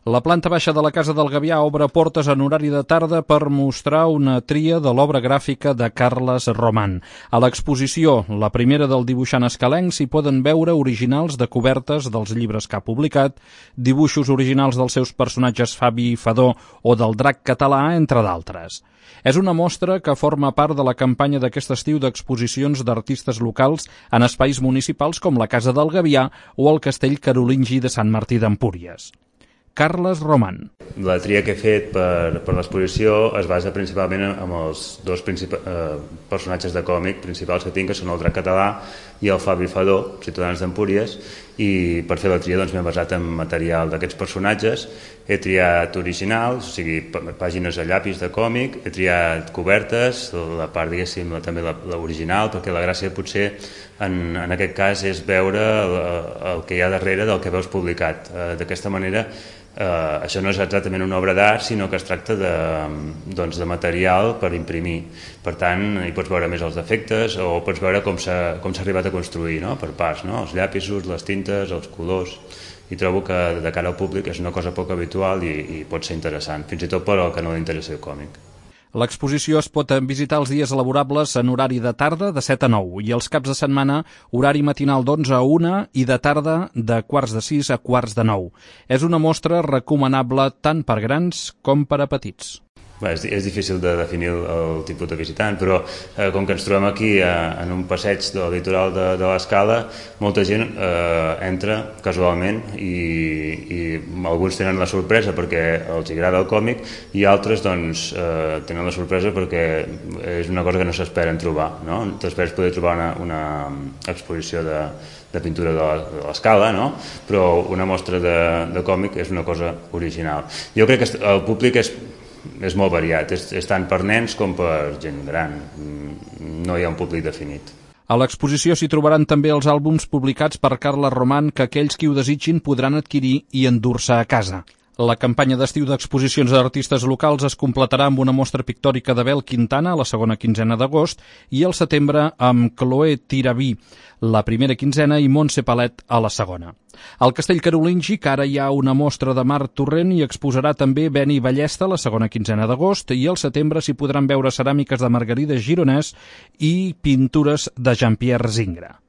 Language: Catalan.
La planta baixa de la Casa del Gavià obre portes en horari de tarda per mostrar una tria de l'obra gràfica de Carles Roman. A l'exposició, la primera del dibuixant escalenc, s'hi poden veure originals de cobertes dels llibres que ha publicat, dibuixos originals dels seus personatges Fabi i Fadó o del drac català, entre d'altres. És una mostra que forma part de la campanya d'aquest estiu d'exposicions d'artistes locals en espais municipals com la Casa del Gavià o el Castell Carolingi de Sant Martí d'Empúries. Carles Roman. La tria que he fet per l'exposició es basa principalment en els dos personatges de còmic principals que tinc, que són el drac català i el Fabi Fadó, ciutadans d'Empúries, i per fer la tria m'he basat en material d'aquests personatges. He triat originals, o sigui, pàgines a llapis de còmic, he triat cobertes, la part, diguéssim, també l'original, perquè la gràcia potser en aquest cas és veure el que hi ha darrere del que veus publicat. D'aquesta manera, això no és exactament una obra d'art, sinó que es tracta de material per imprimir. Per tant, hi pots veure més els defectes o pots veure com s'ha arribat a construir, no? Per parts, no? Els llapisos, les tintes, els colors. I trobo que de cara al públic és una cosa poc habitual i pot ser interessant, fins i tot per al que no li interessa el còmic. L'exposició es pot visitar els dies laborables en horari de tarda de 7 a 9 i els caps de setmana horari matinal d'11 a 1 i de tarda de quarts de 6 a quarts de 9. És una mostra recomanable tant per grans com per a petits. És difícil de definir el tipus de visitant, però com que ens trobem aquí en un passeig del litoral de l'Escala, molta gent entra casualment i alguns tenen la sorpresa perquè els agrada el còmic i altres tenen la sorpresa perquè és una cosa que no s'esperen trobar, no? T'esperes poder trobar una exposició de pintura de l'Escala, no? Però una mostra de còmic és una cosa original. Jo crec que el públic és molt variat, és tant per nens com per gent gran, no hi ha un públic definit. A l'exposició s'hi trobaran també els àlbums publicats per Carles Roman que aquells qui ho desitgin podran adquirir i endur-se a casa. La campanya d'estiu d'exposicions d'artistes locals es completarà amb una mostra pictòrica d'Abel Quintana a la segona quinzena d'agost i al setembre amb Chloé Tiraví, la primera quinzena, i Montse Palet a la segona. Al Castell Carolingi, que ara hi ha una mostra de Marc Torrent, hi exposarà també Beni Ballesta la segona quinzena d'agost i al setembre s'hi podran veure ceràmiques de Margarida Gironès i pintures de Jean-Pierre Zingra.